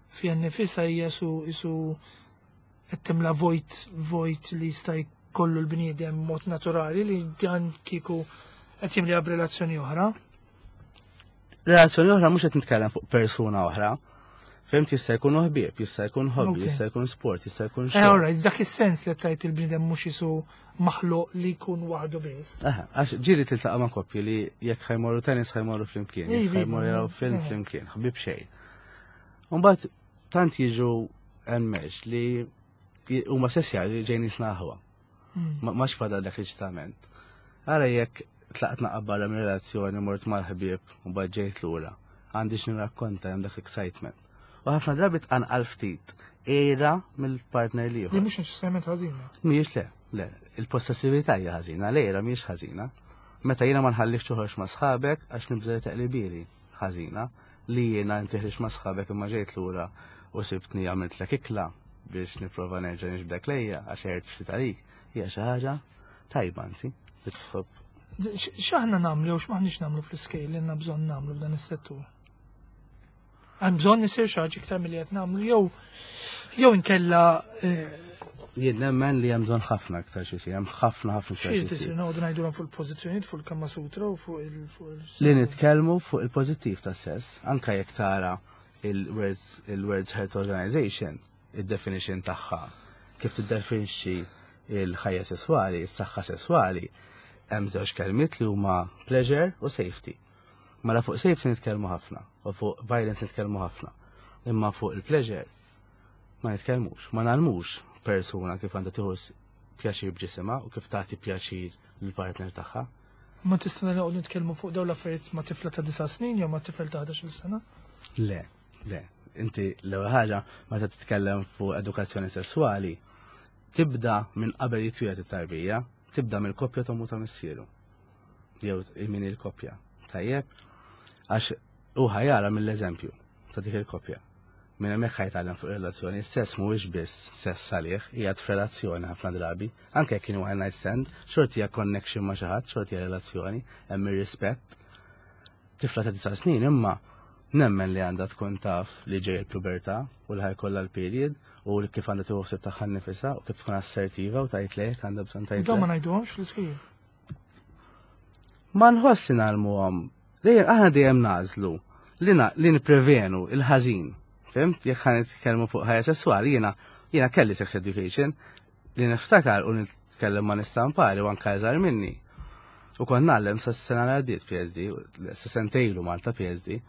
fiha nnifisha hija su isu qed timla vojt vojt li jista' jkollu l-bniedem mod naturali li dan kieku qed jimliha b'relazzjoni oħra. Relazzjoni oħra mhux qed nitkellem fuq persuna oħra. Fhimt jista' jkun ħbieb, jista' jkun hobby, Ok. jista' jkun sport, jista' jkun Eh, xogħol. alright, dak is-sens li tgħid il-bniedem mhux isu maħluq li jkun waħdu biss. Aha, għax ġieli tiltaqa' ma' koppji li jekk ħa jmorru tennis ħa jmorru flimkien, jekk Ivi, ħa jmorru jaraw film eh. flimkien, ħbib xejn. Mbagħad tant jiġu enmesh li huma sessja li ġejn jisna aħwa. Mm. Ma max fadal dak l-eċitament. Ara jekk tlaqt naqra barra minn relazzjoni mort mal-ħbieb u mbagħad ġejt lura. Għandi x'nirrakkonta hemm dak l-excitement. U ħafna drabi tqanqal ftit għira mill-partner Li l-ieħor. mhux neċessarjament ħażina. Mhijiex le, le, il-possessività hija ħażina, l-għira mhijiex ħażina. Meta jiena ma nħallikx toħroġ ma' sħabek għax nibża' li teqlibili ħażina, li jiena inti ħriġt ma' sħabek imma ġejt lura u sibtni għamiltlek ikla biex nipprova nerġa' niġbdek lejja għax għirt ftit għalik, hija xi ħaġa tajba anzi, li tħobb. X- X'aħna nagħmlu jew x'maħniex nagħmlu fl-iskejjel li għandna bżonn nagħmlu f'dan is-settur? Hemm bżonn isir xi ħaġa iktar milli qed nagħmlu jew jew inkella eh, Jien nemmen li hemm bżonn ħafna aktar xi jsir, hemm ħafna ħafna iktar xi xi tisir jsir. noqogħdu ngħidulhom fuq il-pożizzjonijiet fuq il-Kama Sutra u fuq il fuq il Li nitkellmu fuq il-pożittiv tas sess, anka jekk tara il-Words il-World Health Organization, il-definition tagħha, kif tiddefinixxi il-ħajja sesswali, is-saħħa sesswali, hemm żewġ kelmiet li huma pleasure u safety. Mela fuq safety nitkellmu ħafna u fuq violence nitkellmu ħafna. Imma fuq il-pleasure ma nitkellmux, ma ngħallmux persuna kif għandha tieħu pjaċir b'ġisimha u kif tagħti pjaċir lill-partner tagħha. Ma tista' noqogħdu nitkellmu fuq dawn l-affarijiet ma' tifla ta' disa' snin jew ma' tifel ta' ħdax-il sena? Le, le. Inti l-ewwel ħaġa meta titkellem fuq edukazzjoni sesswali, tibda minn qabel jitwieled it-tarbija, tibda mill-koppja t'ommu ta' missieru. Jew min il-koppja. Tajjeb? Għax u ħa jara mill-eżempju ta' dik il-koppja. Minn hemmhekk ħa jitgħallem fuq relazzjoni, sess mhuwiex biss sess għalih, hija relazzjoni ħafna drabi, anke jekk kienu one night stand, xorti hija connection ma' xi ħadd, xorti hija relazzjoni, hemm ir-rispett. Tifla ta' disa' snin imma nemmen li għandha tkun taf li ġej il-pubertà u li ħa jkollha l-period u li kif għandha tieħu ħsieb tagħha nnifisha u kif tkun assertiva u tgħid lejk għandha bżonn tgħid Dawn ma le. ngħiduhomx fl-iskejjel. Ma nħossi ngħallmuhom. Dejjem aħna dejjem nagħżlu li na- li nipprevenu il-ħażin. Fhimt? Jekk ħa nitkellmu fuq ħajja sesswali, jiena jiena kelli sex education li niftakar u nitkellem ma' nistampari u anke iżgħar minni. U kont ngħallem sa s-sena li għaddiet PSD, sa sentejlu Malta PSD,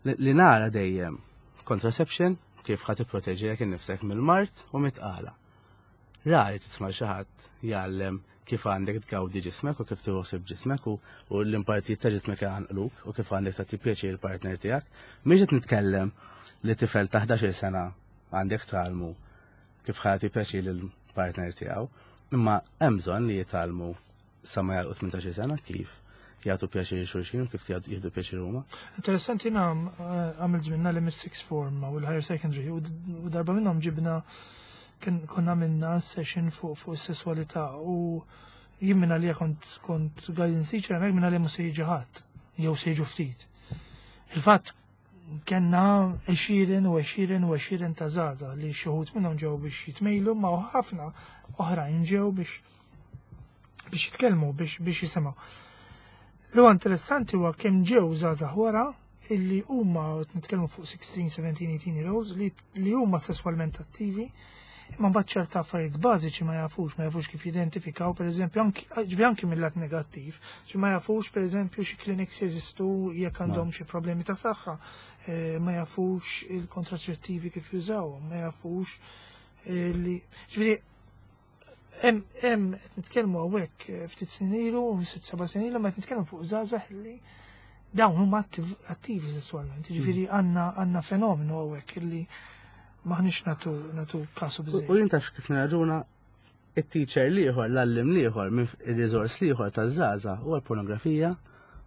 li li nara dejjem contraception kif ħa tipproteġi jekk innifsek mill-mard u mit-tqala. Rari tisma' xi ħadd jgħallem kif għandek tgawdi ġismek u kif tieħu ġismek u, u l-impartijiet ta' ġismek għanqluk u kif għandek tagħti pjaċir il-partner tiegħek. Mhix qed nitkellem li tifel ta' ħdax-il sena għandek tgħallmu kif ħa jagħti pjaċir lill-partner tiegħu, imma hemm bżonn li jitgħallmu sa ma jagħlqu tmintax-il sena kif jagħtu pjaċir xulxin u kif jieħdu pjaċir huma. Interessanti jiena eh, għamilt żmien li mis-sixth form u l-higher secondary u d- u darba minnhom ġibna kien konna minna session fuq fuq is-sesswalità u jien minna li kont kont guidance teacher hemmhekk minna li mhux se jiġi ħadd jew se jiġu ftit. Il-fatt kellna għexieren u għexieren u għexieren ta' żgħażagħ li xi wħud minnhom ġew biex jitmejlu ma ħafna oħrajn ġew biex biex jitkellmu biex biex jisimgħu. Li huwa interessanti huwa kemm ġew żgħażagħ wara illi huma qed nitkellmu fuq sittax, sebatax, tmintax year olds li li huma sesswalment attivi Imma mbagħad ċerta affarijiet bażiċi ma jafux, ma jafux kif jidentifikaw, pereżempju, anki ġifieri anki mill-lat negattiv, ġifieri ma jafux pereżempju xi clinics jeżistu jekk għandhom xi problemi ta' saħħa, eh, ma jafux il-kontraċettivi kif jużawhom, ma jafux eh, li ġifieri hemm hemm qed nitkellmu hawnhekk eh, ftit snin ilu, sitt seba' snin ilu, ma qed nitkellmu fuq żgħażagħ li dawn huma attiv- attivi sesswalment. Ġifieri għandna għandna fenomenu hawnhekk illi maħniex nagħtu nagħtu kasu U biżejjed. u jien taf kif nirraġuna it-teacher l-ieħor, l-għalliem l-ieħor, minn il-resource l-ieħor taż-żgħażagħ huwa l-pornografija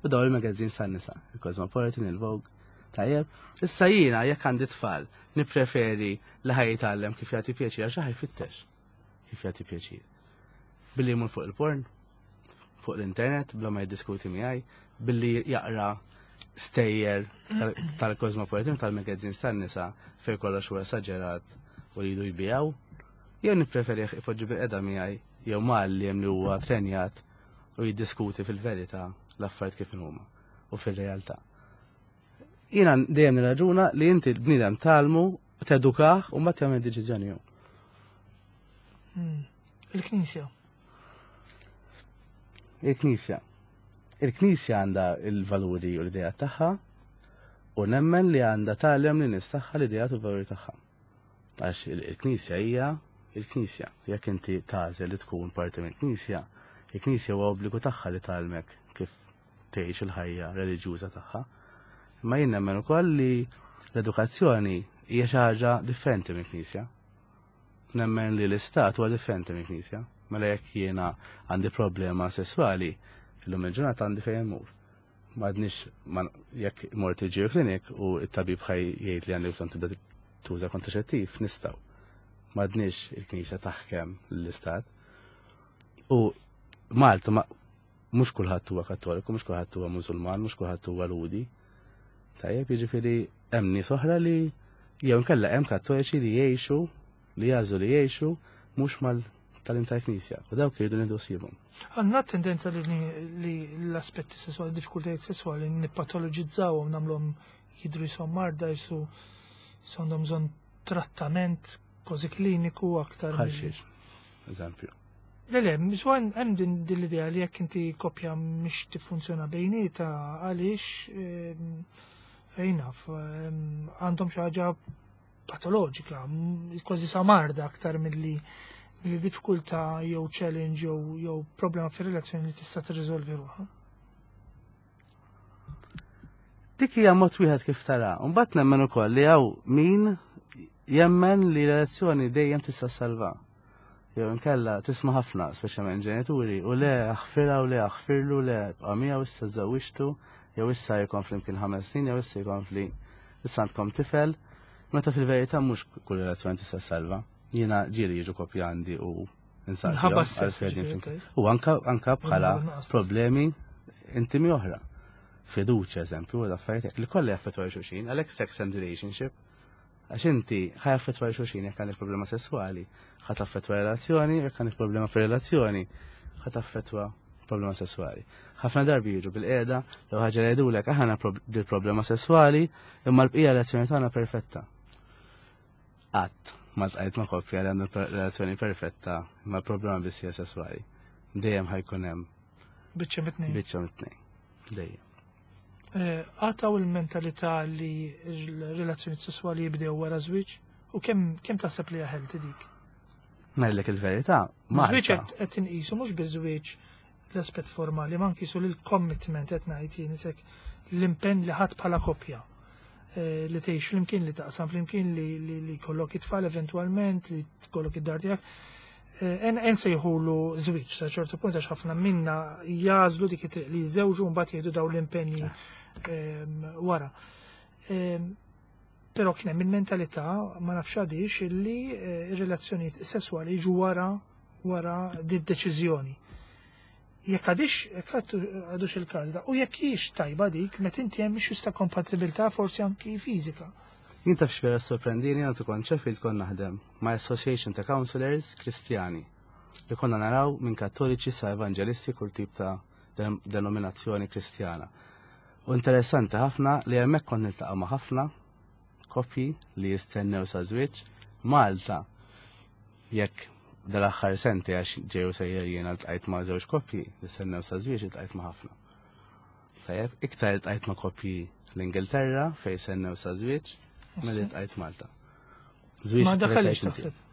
u dawn il-magazines tan-nisa, il-Cosmopolitan, il-Vogue. Tajjeb, issa jiena jekk għandi tfal, nippreferi li ħa jitgħallem kif jagħti pjaċir għax ħa jfittex kif jagħti pjaċir. Billi jmur fuq il-porn, fuq l-internet, bla ma jiddiskuti miegħi, billi jaqra stejjer tal- tal-Cosmopolitan, tal-magazines tan-nisa fejn kollox huwa esaġerat u li jridu jbigħu, jew nippreferi ipoġġi bilqiegħda miegħi jew m'għalliem li huwa trenjat u jiddiskuti fil-verità l-affarijiet kif huma u fil-realtà. Jiena dejjem nirraġuna li inti l-bniedem tgħallmu, tedukah u mbagħad jagħmel deċiżjoni hu. Mm. Il-Knisja. Il-Knisja. Il-Knisja għandha il-valuri u l-idea tagħha u nemmen li għandha tgħallem lin-nies tagħha l-idea u l-valuri tagħha. Għax il-Knisja hija il-Knisja. Jekk inti tagħżel li tkun parti mill-Knisja, il-Knisja huwa obbligu tagħha li tgħallmek kif tgħix il-ħajja reliġjuża tagħha. Imma jien nemmen ukoll li l-edukazzjoni hija xi ħaġa differenti mill-Knisja. Nemmen li l-Istat huwa differenti mill-Knisja. Mela jekk jiena għandi problema sessuali, illum il-ġurnata għandi fejn immur. M'għadniex ma- jekk mort il clinic u t-tabib ħa jgħid li għandi bżonn tibda tuża kontraċettiv, nistgħu. M'għadniex il-Knisja taħkem l-Istat. U Malta ma mhux kulħadd huwa Kattoliku, mhux kulħadd huwa Musulman, mhux kulħadd huwa Lhudi. Tajjeb, jiġifieri hemm nies oħra li jew inkella hemm Kattoliċi li jgħixu li jagħżlu li jgħixu mhux mal tal tal-Knisja u dawk jridu nieħdu ħsiebhom. Għandna tendenza li, li l-aspetti sessuali, diffikultajiet sessuali nippatoloġizzawhom, nagħmluhom jidru jisom marda, jisu għandhom bżonn trattament kważi kliniku aktar. Bħal milli- xiex, eżempju. Le, le, miswan hemm din din l-idea li jekk inti koppja mhix tiffunzjona bejnieta għaliex ehm, fejn naf ehm, għandhom xi ħaġa patoloġika, m- kważi sa marda aktar milli milli diffikultà jew challenge jew jew problema fir-relazzjoni li tista' tirriżolvi ruħha. Dik hija mod wieħed kif tara. Mbagħad nemmen ukoll li hawn min jemmen li relazzjoni dejjem tista' salva. Jew inkella tisma' ħafna, speċjalment ġenituri, u le aħfirha u le aħfirlu le bqa' miegħu issa żewwiġtu, jew issa jkun flimkien ħames snin, jew issa jkun issa għandkom tifel. Meta fil-verità mhux kull relazzjoni tista' salva. Jiena ġieli jiġu koppja għandi u Minħabba nsaqsihom s-sess, għalfejn ġifieri, flimkien. tajjeb. U anka anka bħala Minħabba nuqqas ta' problemi intimi oħra. Fiduċja, eżempju, u affarijiet li kollha jaffettwaw xulxin, għalhekk sex and relationship. Għax inti ħa jaffettwa xulxin jekk għandek problema sessuali, ħa taffettwa relazzjoni, jekk għandek problema fir-relazzjoni, ħa taffettwa problema sessuali. Ħafna darbi jiġu bilqiegħda, jew ħaġa li jgħidulek aħna dil problema sessuali, imma l-bqija relazzjoni tagħna perfetta. Qatt ma ltqajt ma' koppja li għandu relazzjoni perfetta, imma l-problema biss hija sessuali. Dejjem ħa jkun hemm Biċċa mit-tnejn. biċċa mit-tnejn. Dejjem. Eh, Għataw il-mentalità li l-relazzjoni sessuali jibdew wara żwieġ u kemm kemm taħseb li hija healthy dik? Ngħidlek il-verità, Żwieġ Malta. qed qed inqisu mhux biż-żwieġ l-aspett formali, ma nqisu l-commitment qed ngħid jien isek l-impenn li ħadd bħala koppja. Eh, li tgħix flimkien, li taqsam flimkien, li li li jkollok it-tfal eventwalment, li tkollok id-dar tiegħek. Eh, En en sejħulu żwieġ sa ċertu punt għax ħafna minna jagħżlu dik it-triq li jiżżewġu u mbagħad jieħdu dawn l-impenji ehm, wara. Ehm, Però kien hemm il-mentalità ma nafx għadix illi eh, ir-relazzjonijiet sesswali jiġu wara wara di deċiżjoni. Jekk għadix, jekk għaddu- għadux il-każ da, u jekk hix tajba dik, meta inti hemm issues ta' kompatibilità forsi anki fiżika. Jien taf x'vera sorprendini għandu kont Sheffield kont naħdem ma' Association ta' Counselors Kristjani li konna naraw minn kattoliċi sa' evangelisti kull tip ta' den- denominazzjoni kristjana. U interessanti ħafna li hemmhekk kont niltaqa' ma' ħafna koppji li jistennew sa' żwieġ Malta. Jekk dal-aħħar sentejn, għax ġew sejjer jiena ltqajt ma' żewġ koppji li stennew sa żwieġ, iltqajt ma' ħafna. Tajjeb, iktar iltqajt ma' koppji l-Ingilterra fejn stennew sa żwieġ milli ltqajt Malta. Żwieġ Ma daħalix preferejt inti. Taħseb.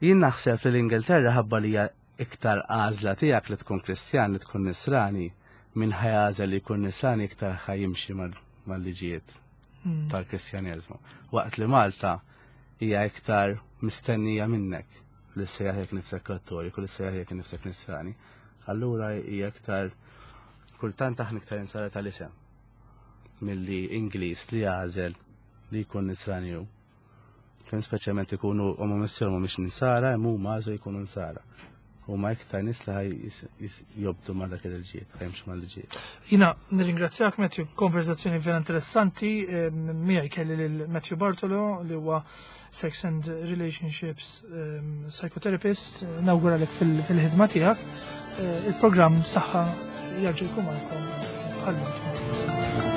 Jien naħseb li l-Ingilterra, ħabba li hija iktar għażla tiegħek li tkun Kristjan, li tkun Nisrani, minn ħa jagħżel li jkun Nisrani iktar ħa jimxi mal- mal-liġijiet Mm. tal-Kristjaneżmu. Waqt li Malta hija iktar mistennija minnek li ssejjaħ jekk nifsek Kattoliku, li ssejjaħ jekk nifsek Nisrani. Allura hija iktar kultant aħna iktar insara tal-isem milli Ingliż li jagħżel li jkun Nisrani hu. Fejn speċjalment ikunu huma missier mhumiex Nisara, imma huma għażlu jkunu Nsara. Huma iktar nies li ħaj jis- jis- jobdu ma' dak il-liġijiet, ħa jimxu mal-liġijiet. Jiena nirringrazzjak, Matthew, konverzazzjoni vera interessanti. Miegħi kelli lil Matthew Bartolo li huwa Sex and Relationships um, Psychotherapist. Nawguralek fil- fil-ħidma tiegħek. Eh, Il-programm Saħħa jerġa' jkun magħkom bħal